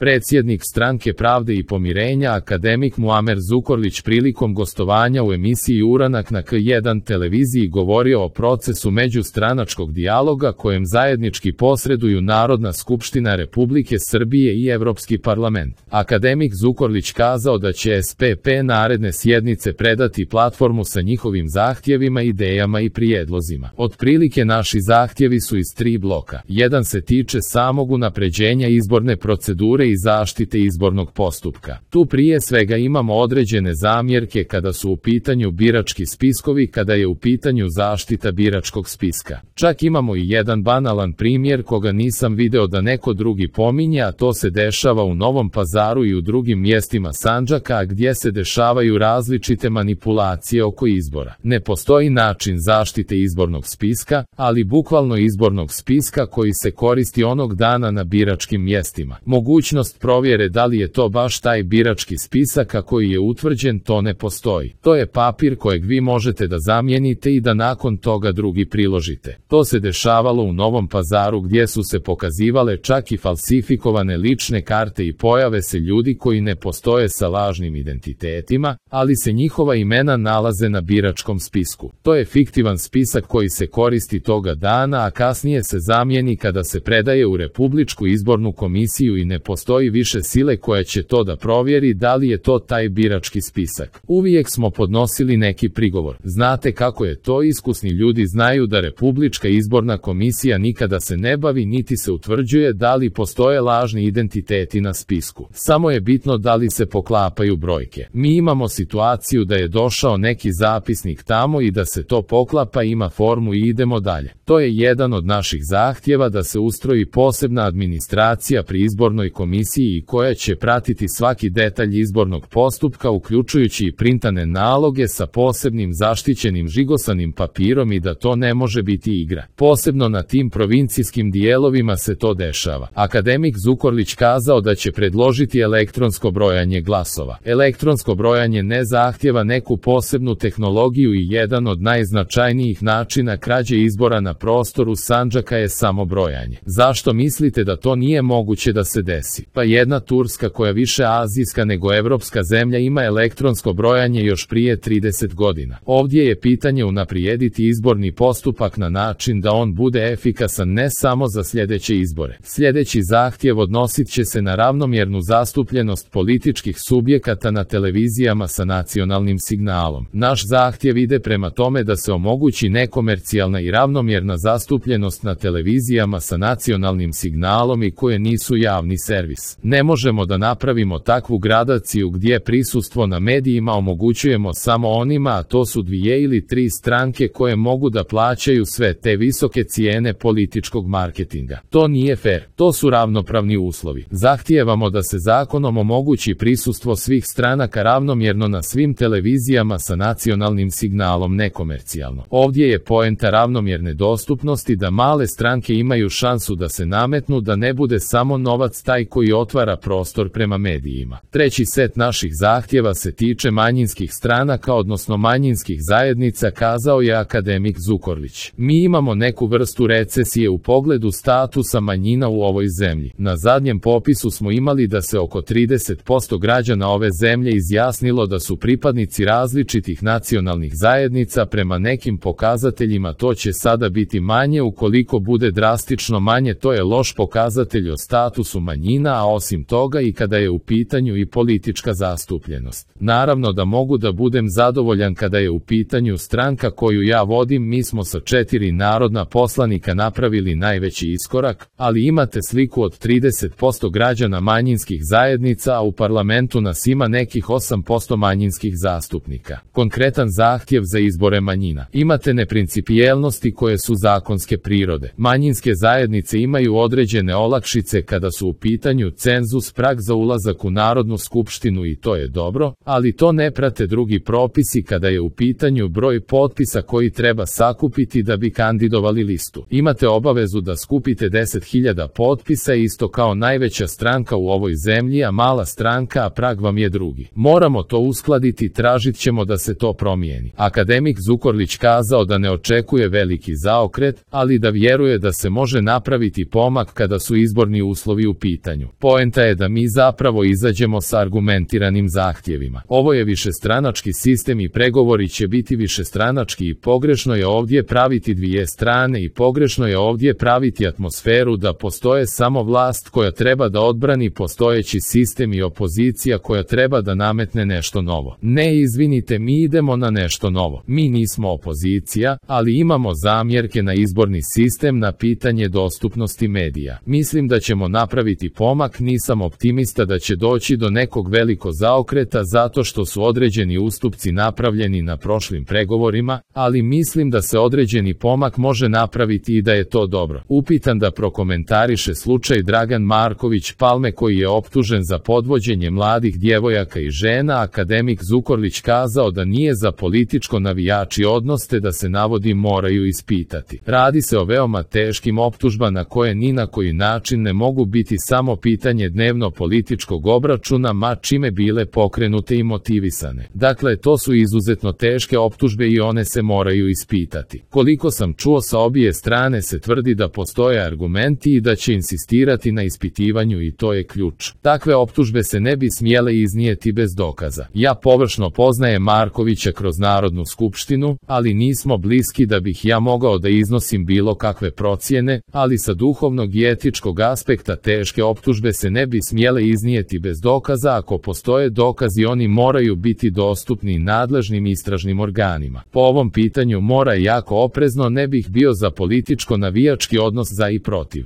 Predsjednik Stranke pravde i pomirenja akademik Muamer Zukorlić prilikom gostovanja u emisiji Uranak na K1 televiziji govorio o procesu međustranačkog dijaloga kojem zajednički posreduju Narodna skupština Republike Srbije i Evropski parlament. Akademik Zukorlić kazao da će SPP naredne sjednice predati platformu sa njihovim zahtjevima, idejama i prijedlozima. Otprilike naši zahtjevi su iz 3 bloka. Jedan se tiče samog unapređenja izborne procedure i zaštite izbornog postupka. Tu prije svega imamo određene zamjerke kada su u pitanju birački spiskovi, kada je u pitanju zaštita biračkog spiska. Čak imamo i jedan banalan primjer koga nisam video da neko drugi pominje, a to se dešava u Novom Pazaru i u drugim mjestima Sandžaka, gdje se dešavaju različite manipulacije oko izbora. Ne postoji način zaštite izbornog spiska, ali bukvalno izbornog spiska koji se koristi onog dana na biračkim mjestima. Mogućnost provjere da li je to baš taj birački spisak a koji je utvrđen, to ne postoji. To je papir kojeg vi možete da zamijenite i da nakon toga drugi priložite. To se dešavalo u Novom Pazaru gdje su se pokazivale čak i falsifikovane lične karte i pojave se ljudi koji ne postoje sa lažnim identitetima, ali se njihova imena nalaze na biračkom spisku. To je fiktivan spisak koji se koristi toga dana, a kasnije se zamijeni kada se predaje u Republičku izbornu komisiju i ne postoji više sile koja će to da provjeri da li je to taj birački spisak. Uvijek smo podnosili neki prigovor. Znate kako je to, iskusni ljudi znaju da Republička izborna komisija nikada se ne bavi niti se utvrđuje da li postoje lažni identiteti na spisku. Samo je bitno da li se poklapaju brojke. Mi imamo situaciju da je došao neki zapisnik tamo i da se to poklapa, ima formu i idemo dalje. To je jedan od naših zahtjeva, da se ustroji posebna administracija pri izbornoj komisiji koja će pratiti svaki detalj izbornog postupka, uključujući i printane naloge sa posebnim zaštićenim žigosanim papirom, i da to ne može biti igra. Posebno na tim provincijskim dijelovima se to dešava. Akademik Zukorlić kazao da će predložiti elektronsko brojanje glasova. Elektronsko brojanje ne zahtjeva neku posebnu tehnologiju i jedan od najznačajnijih načina krađe izbora na prostoru Sandžaka je samo brojanje. Zašto mislite da to nije moguće da se desi? Pa jedna Turska, koja više azijska nego evropska zemlja, ima elektronsko brojanje još prije 30 godina. Ovdje je pitanje unaprijediti izborni postupak na način da on bude efikasan ne samo za sljedeće izbore. Sljedeći zahtjev odnosit će se na ravnomjernu zastupljenost političkih subjekata na televizijama sa nacionalnim signalom. Naš zahtjev ide prema tome da se omogući nekomercijalna i ravnomjerna zastupljenost na televizijama sa nacionalnim signalom i koje nisu javni servis. Ne možemo da napravimo takvu gradaciju gdje prisustvo na medijima omogućujemo samo onima, a to su 2 ili 3 stranke koje mogu da plaćaju sve te visoke cijene političkog marketinga. To nije fair. To su ravnopravni uslovi. Zahtijevamo da se zakonom omogući prisustvo svih stranaka ravnomjerno na svim televizijama sa nacionalnim signalom nekomercijalno. Ovdje je poenta ravnomjerne dostupnosti, da male stranke imaju šansu da se nametnu, da ne bude samo novac taj koji otvara prostor prema medijima. Treći set naših zahtjeva se tiče manjinskih stranaka, odnosno manjinskih zajednica, kazao je akademik Zukorlić. Mi imamo neku vrstu recesije u pogledu statusa manjina u ovoj zemlji. Na zadnjem popisu smo imali da se oko 30% građana ove zemlje izjasnilo da su pripadnici različitih nacionalnih zajednica. Prema nekim pokazateljima to će sada biti manje. Ukoliko bude drastično manje, to je loš pokazatelj o statusu manjina, a osim toga i kada je u pitanju i politička zastupljenost. Naravno da mogu da budem zadovoljan kada je u pitanju stranka koju ja vodim. Mi smo sa 4 narodna poslanika napravili najveći iskorak, ali imate sliku od 30% građana manjinskih zajednica, a u parlamentu nas ima nekih 8% manjinskih zastupnika. Konkretan zahtjev za izbore manjina. Imate neprincipijelnosti koje su zakonske prirode. Manjinske zajednice imaju određene olakšice kada su u pitanju cenzus, prag za ulazak u Narodnu skupštinu, i to je dobro, ali to ne prate drugi propisi kada je u pitanju broj potpisa koji treba sakupiti da bi kandidovali listu. Imate obavezu da skupite 10.000 potpisa, isto kao najveća stranka u ovoj zemlji, a mala stranka, a prag vam je drugi. Moramo to uskladiti, tražit ćemo da se to promijeni. Akademik Zukorlić kazao da ne očekuje veliki zaokret, ali da vjeruje da se može napraviti pomak kada su izborni uslovi u pitanju. Poenta je da mi zapravo izađemo sa argumentiranim zahtjevima. Ovo je višestranački sistem i pregovori će biti višestranački i pogrešno je ovdje praviti dvije strane i pogrešno je ovdje praviti atmosferu da postoje samo vlast koja treba da odbrani postojeći sistem i opozicija koja treba da nametne nešto novo. Ne, izvinite, mi idemo na nešto novo. Mi nismo opozicija, ali imamo zamjerke na izborni sistem, na pitanje dostupnosti medija. Mislim da ćemo napraviti pomak, nisam optimista da će doći do nekog velikog zaokreta zato što su određeni ustupci napravljeni na prošlim pregovorima, ali mislim da se određeni pomak može napraviti i da je to dobro. Upitan da prokomentariše slučaj Dragan Marković Palme koji je optužen za podvođenje mladih djevojaka i žena, akademik Zukorlić kazao da nije za političko navijači odnos te da se navodi moraju ispitati. Radi se o veoma teškim optužbama koje ni na koji način ne mogu biti samo pitanje dnevno političkog obračuna, ma čime bile pokrenute i motivisane. Dakle, to su izuzetno teške optužbe i one se moraju ispitati. Koliko sam čuo, sa obje strane se tvrdi da postoje argumenti i da će insistirati na ispitivanju i to je ključ. Takve optužbe se ne bi smjele iznijeti bez dokaza. Ja površno poznajem Markovića kroz Narodnu skupštinu, ali nismo bliski da bih ja mogao da iznosim bilo kakve procjene, ali sa duhovnog i etičkog aspekta teške optužbe se ne bi smjele iznijeti bez dokaza. Ako postoje dokazi, oni moraju biti dostupni nadležnim istražnim organima. Po ovom pitanju mora jako oprezno, ne bih bio za političko navijački odnos za i protiv.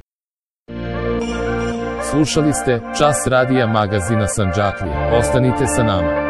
Slušali ste Čas radija magazina Sandžaklije. Ostanite sa nama.